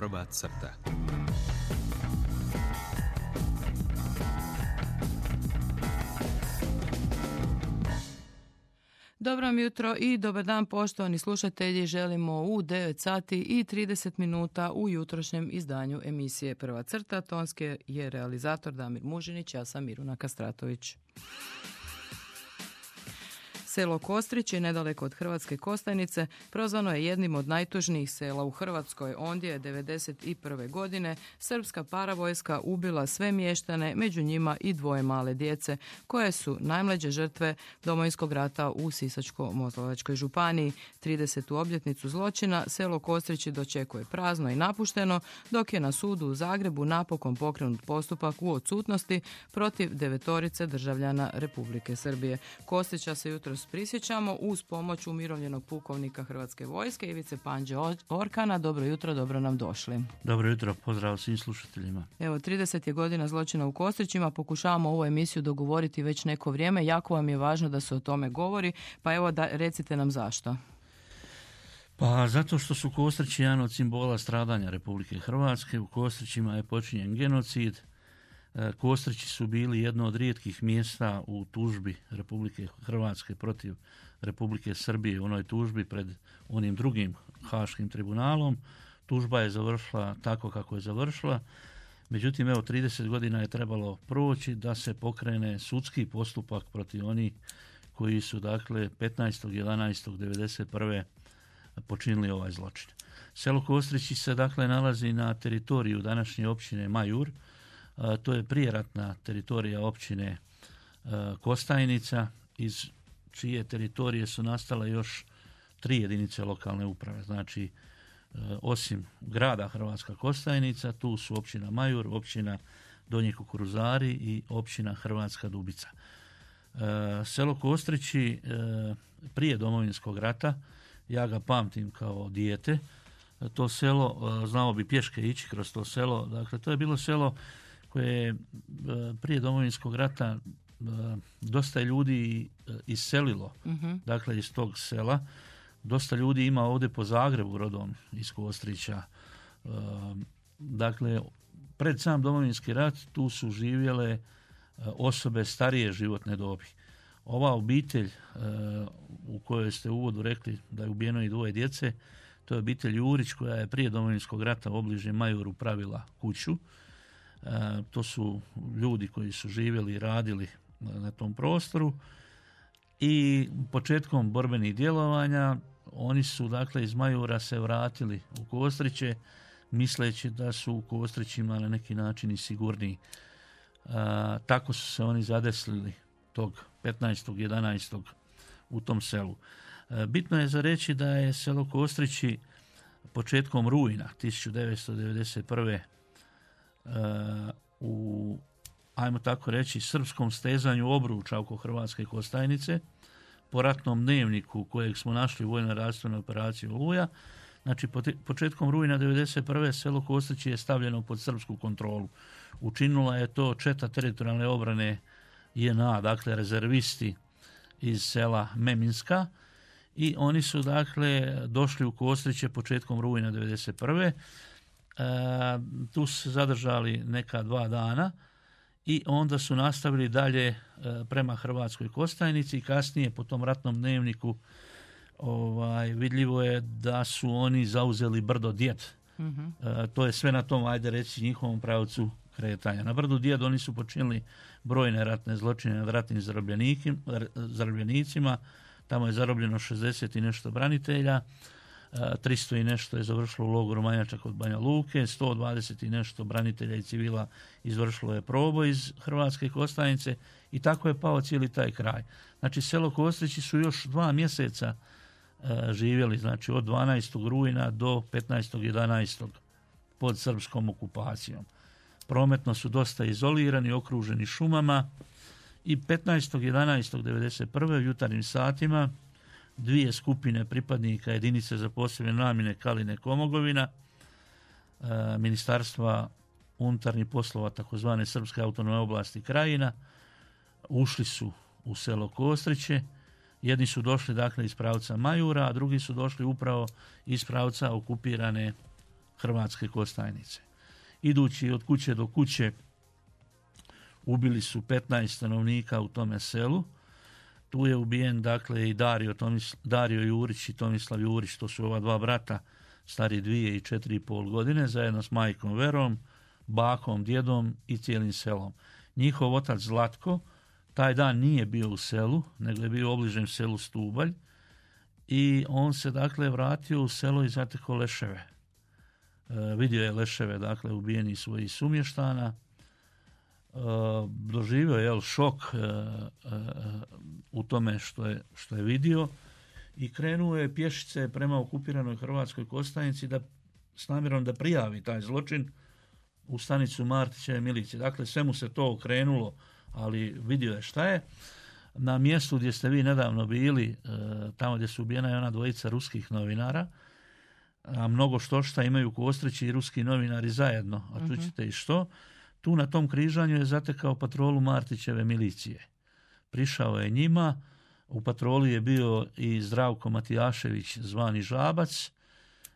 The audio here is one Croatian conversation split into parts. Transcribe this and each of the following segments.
Prva crta. Dobro vam jutro i dobar dan poštovani slušatelji. Želimo u 9 sati i 30 minuta u jutrošnjem izdanju emisije Prva crta. Tonski je realizator Damir Mužinić, ja sam Miruna Kastratović. Selo Kostrić je nedaleko od Hrvatske Kostajnice, prozvano je jednim od najtužnijih sela u Hrvatskoj. Ondje je 1991. godine srpska paravojska ubila sve mještane, među njima i 2 male djece, koje su najmlađe žrtve Domovinskog rata u Sisačko-moslavačkoj županiji. 30. obljetnicu zločina selo Kostrić dočekuje prazno i napušteno, dok je na sudu u Zagrebu napokon pokrenut postupak u odsutnosti protiv 9 državljana Republike Srbije. Kostrića se jutros prisjećamo uz pomoć umirovljenog pukovnika Hrvatske vojske Ivice Panđe Orkana. Dobro jutro, dobro nam došli. Dobro jutro, pozdrav svim slušateljima. Evo, 30 je godina zločina u Kostrićima, pokušavamo ovu emisiju dogovoriti već neko vrijeme. Jako vam je važno da se o tome govori, pa evo recite nam zašto. Pa zato što su Kostrići jedan od simbola stradanja Republike Hrvatske. U Kostrićima je počinjen genocid. Kostrići su bili jedno od rijetkih mjesta u tužbi Republike Hrvatske protiv Republike Srbije, u onoj tužbi pred onim drugim Haškim tribunalom. Tužba je završila tako kako je završila. Međutim, evo, 30 godina je trebalo proći da se pokrene sudski postupak protiv onih koji su, dakle, 15.11.1991. počinili ovaj zločin. Selo Kostrići se, dakle, nalazi na teritoriju današnje općine Majur. To je prijeratna teritorija općine Kostajnica, iz čije teritorije su nastale još 3 jedinice lokalne uprave. Znači, osim grada Hrvatska Kostajnica, tu su općina Majur, općina Donji Kukuruzari i općina Hrvatska Dubica. Selo Kostrići prije Domovinskog rata, ja ga pamtim kao dijete, to selo, znao bi pješke ići kroz to selo, dakle to je bilo selo koje je prije Domovinskog rata dosta ljudi iselilo, dakle iz tog sela. Dosta ljudi ima ovdje po Zagrebu rodom iz Kostrića. Dakle, pred sam Domovinski rat tu su živjele osobe starije životne dobi. Ova obitelj u kojoj ste u uvodu rekli da je ubijeno i 2 djece, to je obitelj Jurić koja je prije Domovinskog rata u obližnje Majuru pravila kuću. To su ljudi koji su živjeli i radili na tom prostoru i početkom borbenih djelovanja oni su, dakle, iz Majura se vratili u Kostriće misleći da su u Kostrićima na neki način i sigurniji. Tako su se oni zadeslili tog 15.11. u tom selu. Bitno je za reći da je selo Kostrići početkom rujna 1991. U, ajmo tako reći, srpskom stezanju obruča oko Hrvatske Kostajnice, po ratnom dnevniku kojeg smo našli u vojno-redarstvenoj operaciji Oluja. Znači, početkom rujna 1991. selo Kostrići je stavljeno pod srpsku kontrolu. Učinila je to četa teritorijalne obrane JNA, dakle rezervisti iz sela Meminska, i oni su, dakle, došli u Kostriće početkom rujna 1991. Tu su se zadržali neka 2 dana i onda su nastavili dalje prema Hrvatskoj Kostajnici i kasnije po tom ratnom dnevniku vidljivo je da su oni zauzeli brdo Djed. To je sve na tom, ajde reći, njihovom pravcu kretanja. Na brdu Djed oni su počinili brojne ratne zločine nad ratnim zarobljenicima. Tamo je zarobljeno 60 i nešto branitelja. 300 i nešto je završilo u logoru Manjača kod Banja Luke, 120 i nešto branitelja i civila izvršilo je proboj iz Hrvatske Kostajnice i tako je pao cijeli taj kraj. Znači, selo Kostrići su još 2 mjeseca živjeli, znači od 12. rujna do 15.11. pod srpskom okupacijom. Prometno su dosta izolirani, okruženi šumama i 15.11.1991. u jutarnjim satima 2 skupine pripadnika jedinice za posebne namjene Kaline Komogovina, Ministarstva unutarnjih poslova takozvane Srpske autonomne oblasti Krajina, ušli su u selo Kostriće. Jedni su došli, dakle, iz pravca Majura, a drugi su došli upravo iz pravca okupirane Hrvatske Kostajnice. Idući od kuće do kuće ubili su 15 stanovnika u tome selu. Tu je ubijen dakle i Dario Jurić i Tomislav Jurić, to su ova dva brata, stari 2 i 4,5 godine, zajedno s majkom Verom, bakom, djedom i cijelim selom. Njihov otac Zlatko taj dan nije bio u selu, nego je bio u obližnjem selu Stubalj i on se dakle vratio u selo i zatekao leševe. Vidio je leševe dakle ubijenih svojih sumještana, doživio je šok u tome što je vidio i krenuo je pješice prema okupiranoj Hrvatskoj Kostajnici s namjerom da prijavi taj zločin u stanicu Martićeve milicije. Dakle, sve mu se to okrenulo, ali vidio je šta je. Na mjestu gdje ste vi nedavno bili, tamo gdje su ubijena i ona dvojica ruskih novinara, a mnogo šta imaju Kostrići i ruski novinari zajedno, a čućete i što, tu na tom križanju je zatekao patrolu Martićeve milicije. Prišao je njima, u patroli je bio i Zdravko Matijašević zvani Žabac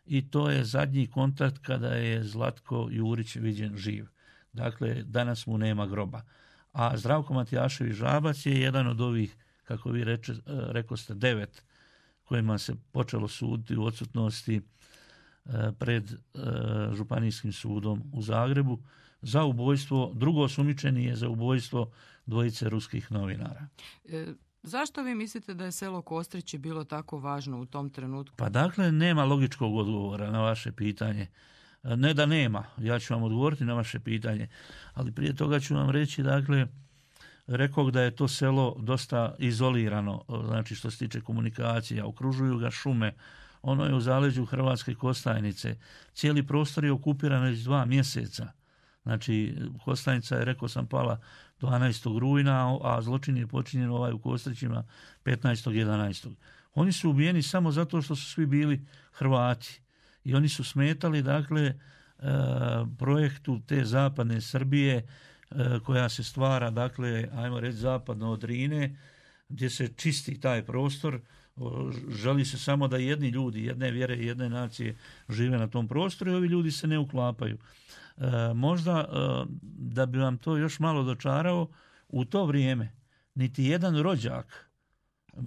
i to je zadnji kontakt kada je Zlatko Jurić viđen živ. Dakle, danas mu nema groba. A Zdravko Matijašević Žabac je jedan od ovih, kako vi rekoste, 9 kojima se počelo suditi u odsutnosti pred Županijskim sudom u Zagrebu za ubojstvo, drugo osumnjičeni je za ubojstvo dvojice ruskih novinara. Zašto vi mislite da je selo Kostrići bilo tako važno u tom trenutku? Pa dakle, nema logičkog odgovora na vaše pitanje. Ne da nema, ja ću vam odgovoriti na vaše pitanje, ali prije toga ću vam reći, dakle, rekao da je to selo dosta izolirano, znači što se tiče komunikacija, okružuju ga šume, ono je u zaleđu Hrvatske Kostajnice, cijeli prostor je okupiran već 2 mjeseca. Znači, Kostajnica je, rekao sam, pala 12. rujna, a zločin je počinjen u Kostrićima 15.11. Oni su ubijeni samo zato što su svi bili Hrvati i oni su smetali, dakle, projektu te zapadne Srbije koja se stvara, dakle, ajmo reći, zapadno od Drine, gdje se čisti taj prostor. Želi se samo da jedni ljudi, jedne vjere i jedne nacije žive na tom prostoru i ovi ljudi se ne uklapaju. Možda da bi vam to još malo dočarao, u to vrijeme niti jedan rođak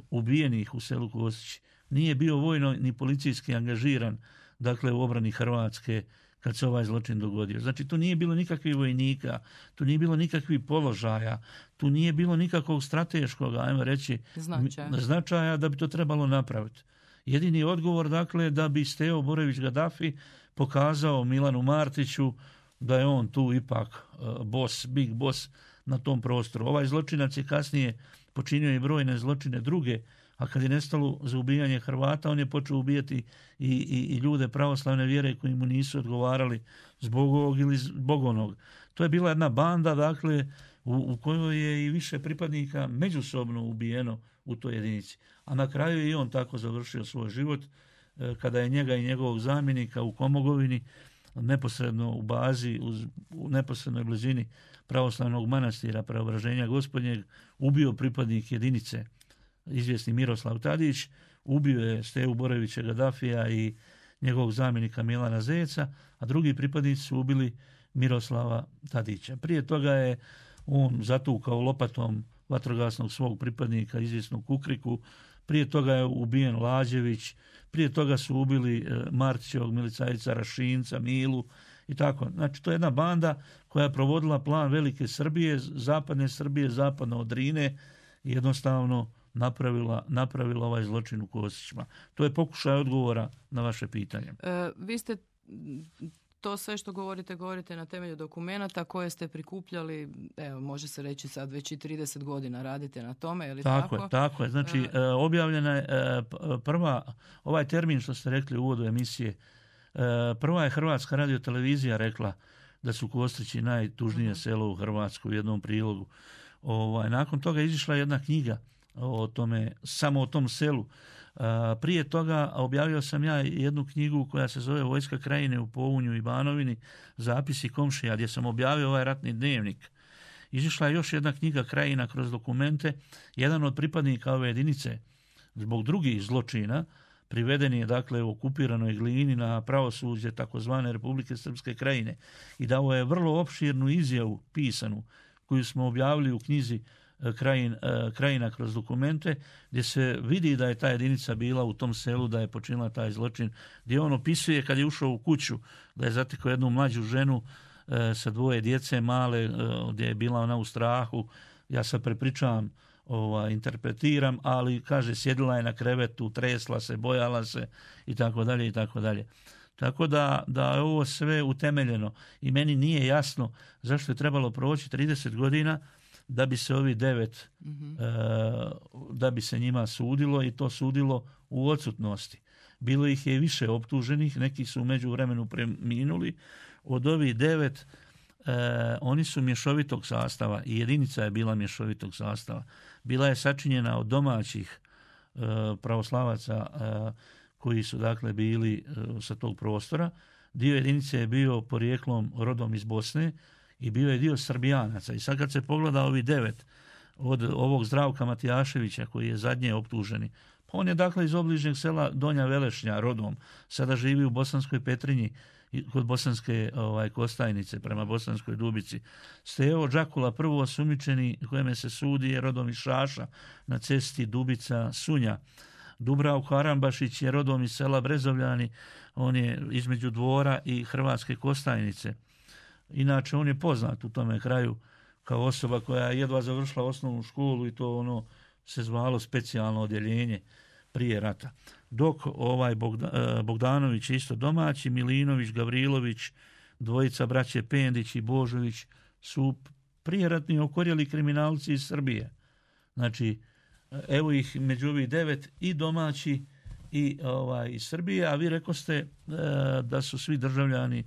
ubijenih u selu Kostrići nije bio vojno ni policijski angažiran, dakle, u obrani Hrvatske kad se ovaj zločin dogodio. Znači, tu nije bilo nikakvih vojnika, tu nije bilo nikakvih položaja, tu nije bilo nikakvog strateškog, ajmo reći, značaja da bi to trebalo napraviti. Jedini odgovor, dakle, da bi Stevo Borojević Gaddafi pokazao Milanu Martiću da je on tu ipak boss, big boss na tom prostoru. Ovaj zločinac je kasnije počinio i brojne zločine druge, a kad je nestalo za ubijanje Hrvata, on je počeo ubijati i ljude pravoslavne vjere koji mu nisu odgovarali zbog ovog ili zbog onog. To je bila jedna banda, dakle, u kojoj je i više pripadnika međusobno ubijeno u toj jedinici. A na kraju je i on tako završio svoj život, kada je njega i njegovog zamjenika u Komogovini, neposredno u bazi, u neposrednoj blizini pravoslavnog manastira Preobraženja Gospodnjeg, ubio pripadnik jedinice, izvjesni Miroslav Tadić, ubio je Stevu Borojevića Gaddafija i njegovog zamjenika Milana Zeca, a drugi pripadnici su ubili Miroslava Tadića. Prije toga je on zatukao lopatom vatrogasnog svog pripadnika, izvjesnog Kukriku, prije toga je ubijen Lađević, prije toga su ubili Martićevog milicajca Rašinca, Milu i tako. Znači, to je jedna banda koja je provodila plan velike Srbije, zapadne Srbije, zapadno od Drine i jednostavno napravila ovaj zločin u Kostrićima. To je pokušaj odgovora na vaše pitanje. Vi ste to sve što govorite na temelju dokumenata koje ste prikupljali, evo, može se reći sad već i 30 godina radite na tome, je li tako? Tako je. Znači, objavljena je prva, ovaj termin što ste rekli u uvodu emisije, prva je Hrvatska radiotelevizija rekla da su Kostrići najtužnije selo u Hrvatskoj u jednom prilogu. Nakon toga je izišla jedna knjiga o tome, samo o tom selu. Prije toga objavio sam ja jednu knjigu koja se zove Vojska krajine u Pounju i Banovini, zapisi komšija, gdje sam objavio ovaj ratni dnevnik. Izišla je još jedna knjiga Krajina kroz dokumente. Jedan od pripadnika ove jedinice zbog drugih zločina priveden je dakle u okupiranoj Glini na pravosuđe takozvane Republike Srpske Krajine i dao je vrlo opširnu izjavu pisanu koju smo objavili u knjizi Krajina kroz dokumente, gdje se vidi da je ta jedinica bila u tom selu, da je počinila taj zločin, gdje on opisuje kad je ušao u kuću, da je zatekao jednu mlađu ženu sa 2 djece male, gdje je bila ona u strahu. Ja sad prepričavam, interpretiram, ali kaže sjedila je na krevetu, tresla se, bojala se i tako dalje i tako dalje. Tako da je ovo sve utemeljeno i meni nije jasno zašto je trebalo proći 30 godina da bi se ovi 9, da bi se njima sudilo i to sudilo u odsutnosti. Bilo ih je više optuženih, neki su u međuvremenu preminuli. Od ovih 9 oni su mješovitog sastava i jedinica je bila mješovitog sastava. Bila je sačinjena od domaćih pravoslavaca koji su dakle bili sa tog prostora. Dio jedinice je bio porijeklom rodom iz Bosne i bio je dio Srbijanaca. I sad kad se pogleda ovi 9 od ovog Zdravka Matijaševića koji je zadnje optuženi, pa on je dakle iz obližnjeg sela Donja Velešnja rodom, sada živi u Bosanskoj Petrinji kod Bosanske Kostajnice prema Bosanskoj Dubici. Stevo Đakula prvo osumnjičeni kojeme se sudi je rodom iz Šaša na cesti Dubica Sunja. Dubravko Arambašić je rodom iz sela Brezovljani, on je između Dvora i Hrvatske Kostajnice. Inače, on je poznat u tome kraju kao osoba koja je jedva završila osnovnu školu i to ono se zvalo specijalno odjeljenje prije rata. Dok Bogdanović je isto domaći, Milinović, Gavrilović, dvojica braće Pendić i Božović su prijeratni okorjeli kriminalci iz Srbije. Znači, evo ih među ovih 9 i domaći i iz Srbije, a vi rekoste da su svi državljani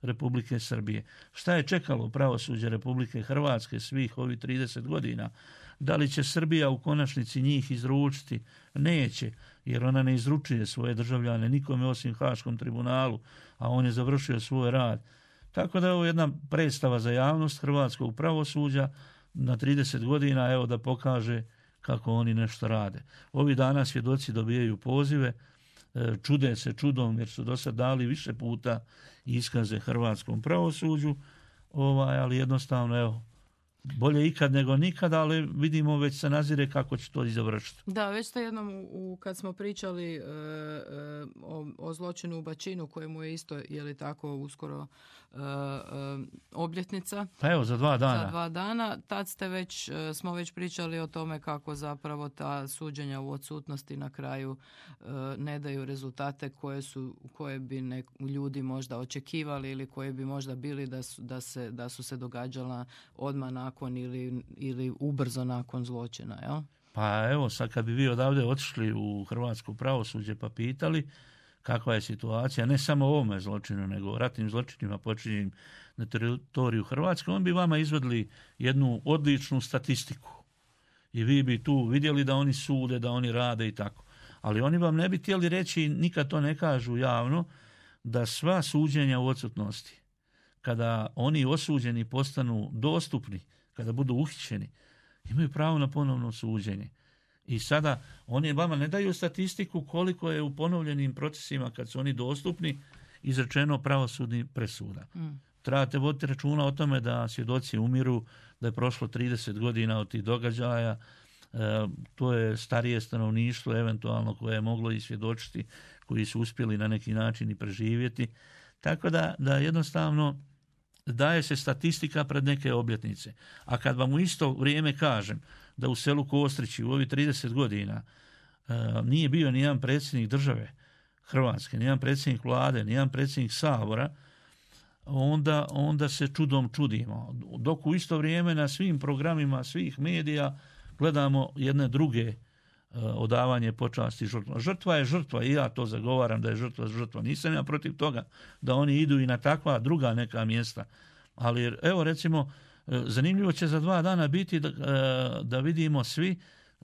Republike Srbije. Šta je čekalo pravosuđe Republike Hrvatske svih ovih 30 godina? Da li će Srbija u konačnici njih izručiti? Neće, jer ona ne izručuje svoje državljane nikome osim Haškom tribunalu, a on je završio svoj rad. Tako da je ovo jedna predstava za javnost hrvatskog pravosuđa na 30 godina, evo da pokaže kako oni nešto rade. Ovih dana svjedoci dobijaju pozive, čude se čudom jer su do sad dali više puta iskaze hrvatskom pravosuđu, ali jednostavno evo, bolje ikad nego nikad, ali vidimo već se nazire kako će to i završiti. Da, već ste jednom kad smo pričali o zločinu u Bačinu, kojemu je isto, je li tako, uskoro obljetnica. Pa evo, za 2 dana. Za 2 dana. Tad smo već pričali o tome kako zapravo ta suđenja u odsutnosti na kraju ne daju rezultate koje bi ljudi možda očekivali ili koje bi možda bili da su se događala odmah nakon ili ubrzo nakon zločina, jel? Pa evo, sad kad bi vi odavde otišli u hrvatsko pravosuđe pa pitali kakva je situacija, ne samo o ovome zločinu, nego o ratnim zločinima počinjenim na teritoriju Hrvatske, on bi vama izvedli jednu odličnu statistiku. I vi bi tu vidjeli da oni sude, da oni rade i tako. Ali oni vam ne bi htjeli reći, nikad to ne kažu javno, da sva suđenja u odsutnosti, kada oni osuđeni postanu dostupni, kada budu uhićeni, imaju pravo na ponovno suđenje. I sada oni vama ne daju statistiku koliko je u ponovljenim procesima kad su oni dostupni izrečeno pravosudnih presuda. Trebate voditi računa o tome da svjedoci umiru, da je prošlo 30 godina od tih događaja, to je starije stanovništvo eventualno koje je moglo i svjedočiti, koji su uspjeli na neki način i preživjeti. Tako da jednostavno daje se statistika pred neke obljetnice. A kad vam u isto vrijeme kažem da u selu Kostrići u ovih 30 godina nije bio nijedan predsjednik države Hrvatske, nijedan predsjednik vlade, nijedan predsjednik Sabora, onda se čudom čudimo. Dok u isto vrijeme na svim programima svih medija gledamo jedne druge odavanje počasti žrtva. Žrtva je žrtva i ja to zagovaram da je žrtva. Nisam ja protiv toga da oni idu i na takva druga neka mjesta. Ali evo recimo, zanimljivo će za 2 dana biti da vidimo svi,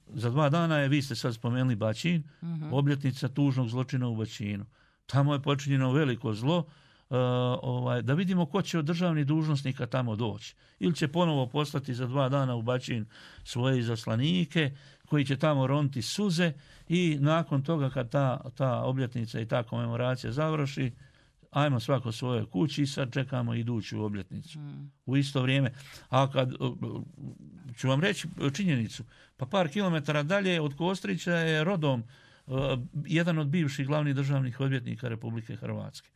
za 2 dana je, vi ste sad spomenuli Bačin, obljetnica tužnog zločina u Bačinu. Tamo je počinjeno veliko zlo, da vidimo ko će od državnih dužnosnika tamo doći. Ili će ponovo poslati za 2 dana u Bačin svoje izaslanike koji će tamo roniti suze i nakon toga kad ta obljetnica i ta komemoracija završi, ajmo svako svojoj kući i sad čekamo iduću obljetnicu. U isto vrijeme. A kad ću vam reći činjenicu, pa par kilometara dalje od Kostrića je rodom jedan od bivših glavnih državnih odvjetnika Republike Hrvatske.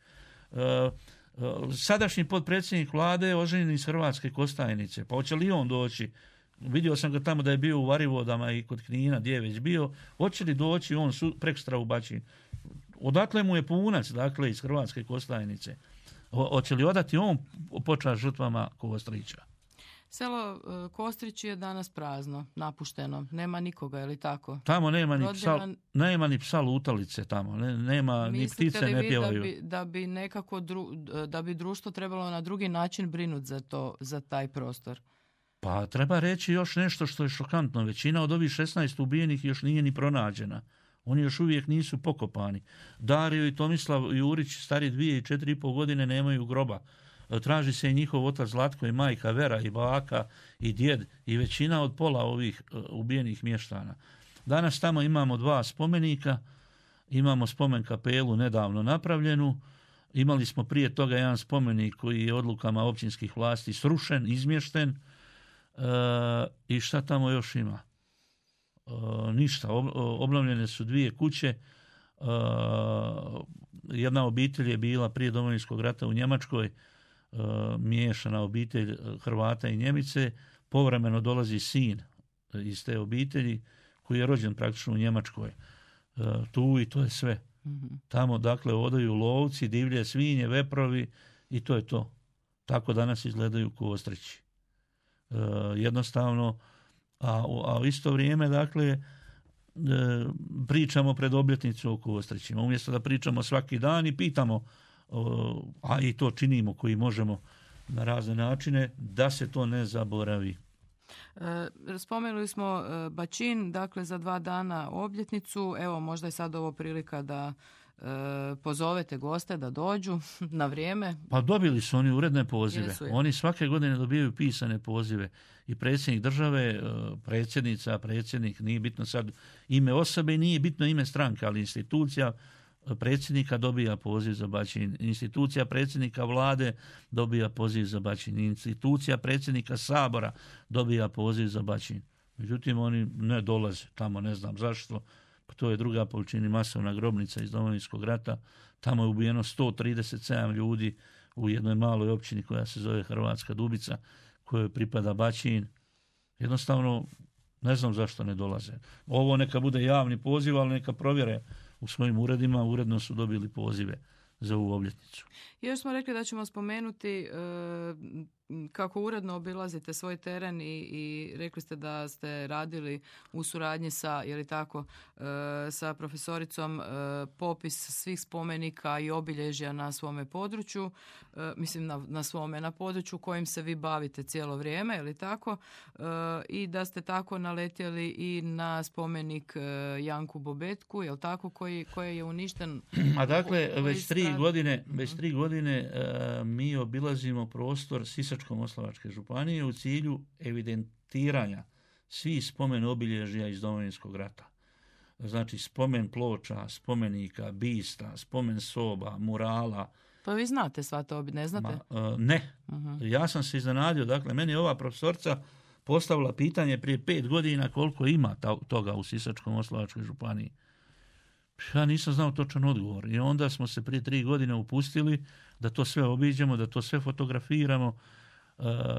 Sadašnji potpredsjednik vlade je oženjen iz Hrvatske Kostajnice. Pa hoće li on doći? Vidio sam ga tamo da je bio u Varivodama i kod Knina, gdje je već bio. Hoće li doći on prekstra u Bačin? Odakle mu je punac, dakle, iz Hrvatske Kostajnice? Hoće li odati on počast žrtvama Kostrića? Selo Kostrić je danas prazno, napušteno. Nema nikoga, je li tako? Tamo nema ni psa lutalice tamo. Nema ni ptice ne pjevaju. Da bi nekako da bi društvo trebalo na drugi način brinuti za taj prostor? Pa treba reći još nešto što je šokantno. Većina od ovih 16 ubijenih još nije ni pronađena. Oni još uvijek nisu pokopani. Dario i Tomislav Jurić, stari 2 i 4,5 godine, nemaju groba. Traži se i njihov otac Zlatko i majka Vera i baka i djed i većina od pola ovih ubijenih mještana. Danas tamo imamo 2 spomenika, imamo spomen kapelu nedavno napravljenu, imali smo prije toga jedan spomenik koji je odlukama općinskih vlasti srušen, izmješten i šta tamo još ima? Ništa, obnovljene su 2 kuće, jedna obitelj je bila prije Domovinskog rata u Njemačkoj, miješana obitelj Hrvata i Njemice, povremeno dolazi sin iz te obitelji koji je rođen praktično u Njemačkoj. Tu i to je sve. Tamo dakle odaju lovci, divlje svinje, veprovi i to je to. Tako danas izgledaju Kostrići. Jednostavno, a u isto vrijeme dakle pričamo pred obljetnicu o Kostrićima. Umjesto da pričamo svaki dan i pitamo, a i to činimo koji možemo na razne načine, da se to ne zaboravi. Spomenuli smo Bačin, dakle za 2 dana obljetnicu. Evo, možda je sad ovo prilika da pozovete goste da dođu na vrijeme. Pa dobili su oni uredne pozive. Oni svake godine dobijaju pisane pozive. I predsjednik države, predsjednica, predsjednik, nije bitno sad ime osobe, nije bitno ime stranke, ali institucija predsjednika dobija poziv za Bačin. Institucija predsjednika vlade dobija poziv za Bačin. Institucija predsjednika Sabora dobija poziv za Bačin. Međutim, oni ne dolaze tamo, ne znam zašto. To je druga po veličini masovna grobnica iz Domovinskog rata. Tamo je ubijeno 137 ljudi u jednoj maloj općini koja se zove Hrvatska Dubica, kojoj pripada Bačin. Jednostavno, ne znam zašto ne dolaze. Ovo neka bude javni poziv, ali neka provjere u svojim uredima, uredno su dobili pozive za ovu obljetnicu. Još smo rekli da ćemo spomenuti kako uredno obilazite svoj teren i rekli ste da ste radili u suradnji sa, je li tako, sa profesoricom popis svih spomenika i obilježja na svome području, mislim na području kojim se vi bavite cijelo vrijeme, je li tako, i da ste tako naletjeli i na spomenik Janku Bobetku, je li tako, koji je uništen. A dakle, već 3 godine mi obilazimo prostor Sisačko-moslavačke županije u cilju evidentiranja svih spomen obilježja iz Domovinskog rata. Znači spomen ploča, spomenika, bista, spomen soba, murala. Pa vi znate sva to, ne znate? Ne. Ja sam se iznenadio. Dakle, meni je ova profesorica postavila pitanje prije 5 godina koliko ima toga u Sisačko-moslavačkoj županiji. Ja nisam znao točan odgovor i onda smo se prije 3 godine upustili da to sve obiđemo, da to sve fotografiramo,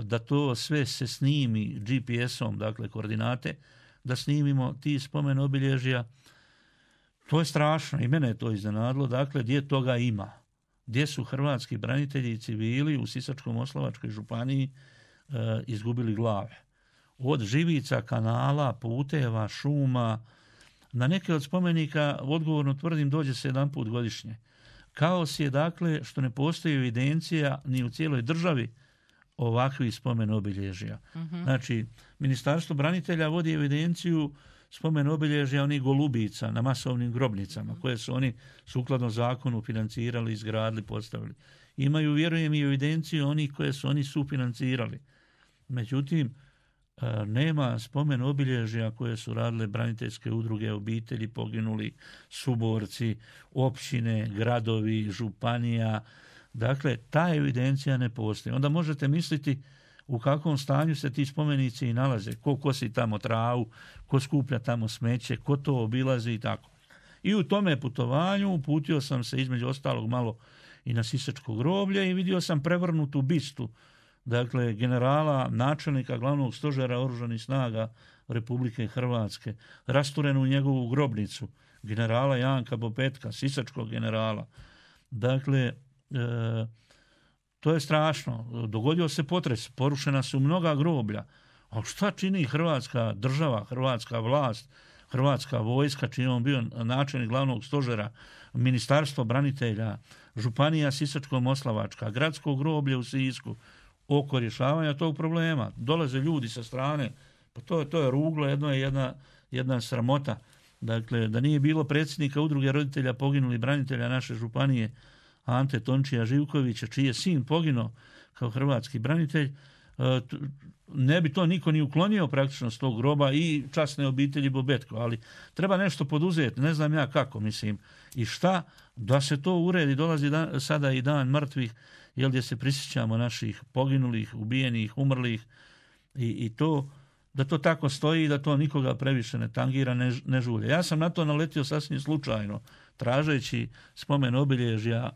da to sve se snimi GPS-om, dakle koordinate, da snimimo ti spomen obilježja. To je strašno i mene je to iznenadilo, dakle gdje toga ima. Gdje su hrvatski branitelji i civili u Sisačko-moslavačkoj županiji izgubili glave. Od živica, kanala, puteva, šuma. Na neke od spomenika, odgovorno tvrdim, dođe se 1 put godišnje. Kaos je dakle što ne postoji evidencija ni u cijeloj državi ovakvih spomen obilježja. Znači, Ministarstvo branitelja vodi evidenciju spomen obilježja onih golubica na masovnim grobnicama koje su oni sukladno zakonu financirali, izgradili, postavili. Imaju, vjerujem, i evidenciju onih koje su oni sufinancirali. Međutim, nema spomen obilježja koje su radile braniteljske udruge, obitelji poginuli, suborci, općine, gradovi, županija. Dakle, ta evidencija ne postoji. Onda možete misliti u kakvom stanju se ti spomenici i nalaze, ko kosi tamo travu, ko skuplja tamo smeće, ko to obilazi i tako. I u tome putovanju uputio sam se između ostalog malo i na Sisačko groblje i vidio sam prevrnutu bistu, dakle generala, načelnika glavnog stožera oružanih snaga Republike Hrvatske, rasturenu u njegovu grobnicu, generala Janka Bobetka, sisačkog generala. Dakle, to je strašno. Dogodio se potres, porušena su mnoga groblja. Ali šta čini Hrvatska država, hrvatska vlast, Hrvatska vojska, čiji je on bio načelnik glavnog stožera, Ministarstvo branitelja, Županija Sisačko-moslavačka, gradsko groblje u Sisku, oko rješavanja tog problema. Dolaze ljudi sa strane, pa to je ruglo, jedna sramota. Dakle, da nije bilo predsjednika udruge roditelja poginulih branitelja naše županije, Ante Tončija Živkovića, čiji je sin poginuo kao hrvatski branitelj, ne bi to niko ni uklonio praktično s tog groba i časne obitelji Bobetko, ali treba nešto poduzeti, ne znam ja kako, mislim, i šta, da se to uredi. Dolazi sada i dan mrtvih, gdje se prisjećamo naših poginulih, ubijenih, umrlih i to, da to tako stoji i da to nikoga previše ne tangira, ne žulje. Ja sam na to naletio sasvim slučajno, tražeći spomen obilježja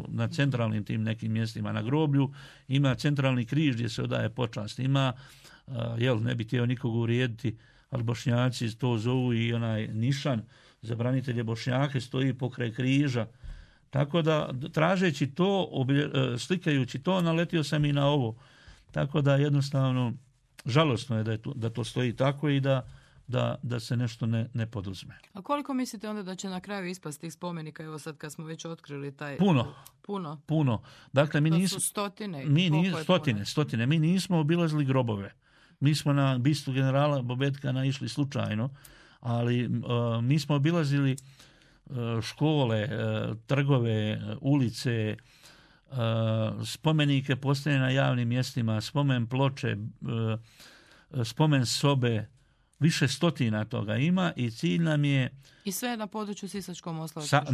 na centralnim tim nekim mjestima. Na groblju ima centralni križ gdje se odaje počast. Ima, ne bi htio nikog uvrijediti, ali Bošnjaci to zovu i onaj nišan za branitelje Bošnjake stoji pokraj križa. Tako da, tražeći to, slikajući to, naletio sam i na ovo. Tako da jednostavno žalosno je da to stoji tako i da se nešto ne poduzme. A koliko mislite onda da će na kraju ispasti tih spomenika, evo sad kad smo već otkrili taj... Puno. Dakle, su stotine. Stotine. Mi nismo obilazili grobove. Mi smo na bistu generala Bobetka naišli slučajno, ali mi smo obilazili škole, trgove, ulice, spomenike postavljene na javnim mjestima, spomen ploče, spomen sobe, više stotina toga ima i cilj nam je... I sve na području Sisačko-moslavačke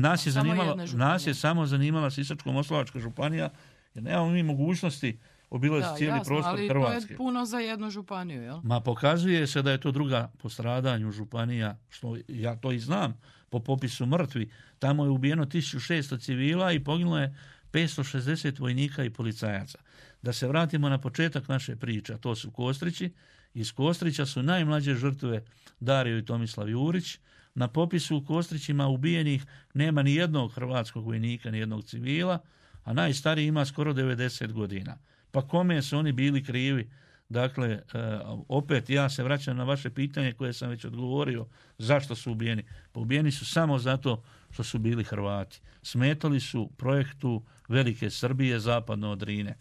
Nas je samo zanimala Sisačko-moslavačka županija, jer nemamo mi mogućnosti obilaziti cijeli prostor Hrvatske. Ali to je puno za jednu županiju, jel? Ma pokazuje se da je to druga po stradanju županija, što ja to i znam, po popisu mrtvi. Tamo je ubijeno 1600 civila i poginulo je 560 vojnika i policajaca. Da se vratimo na početak naše priče, to su Kostrići. Iz Kostrića su najmlađe žrtve Dario i Tomislav Jurić. Na popisu u Kostrićima ubijenih nema ni jednog hrvatskog vojnika, ni jednog civila, a najstariji ima skoro 90 godina. Pa kome su oni bili krivi? Dakle, opet ja se vraćam na vaše pitanje koje sam već odgovorio. Zašto su ubijeni? Pa ubijeni su samo zato što su bili Hrvati. Smetali su projektu Velike Srbije zapadno od Drine.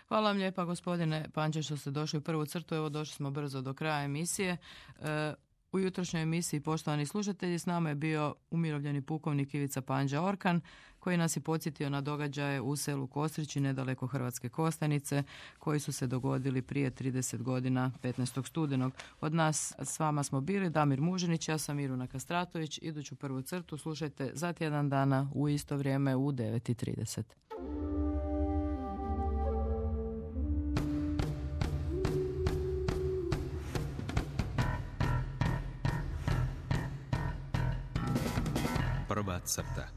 Hvala vam lijepa, gospodine Panče, što ste došli u prvu crtu. Evo, došli smo brzo do kraja emisije. U jutrošnjoj emisiji, poštovani slušatelji, s nama je bio umirovljeni pukovnik Ivica Panđa Orkan, koji nas je podsjetio na događaje u selu Kostrići, nedaleko Hrvatske Kostajnice, koji su se dogodili prije 30 godina, 15. studenog. Od nas s vama smo bili Damir Mužinić, ja sam Miruna Kastratović. Iduću prvu crtu slušajte za tjedan dana u isto vrijeme u 9:30. Prva crta.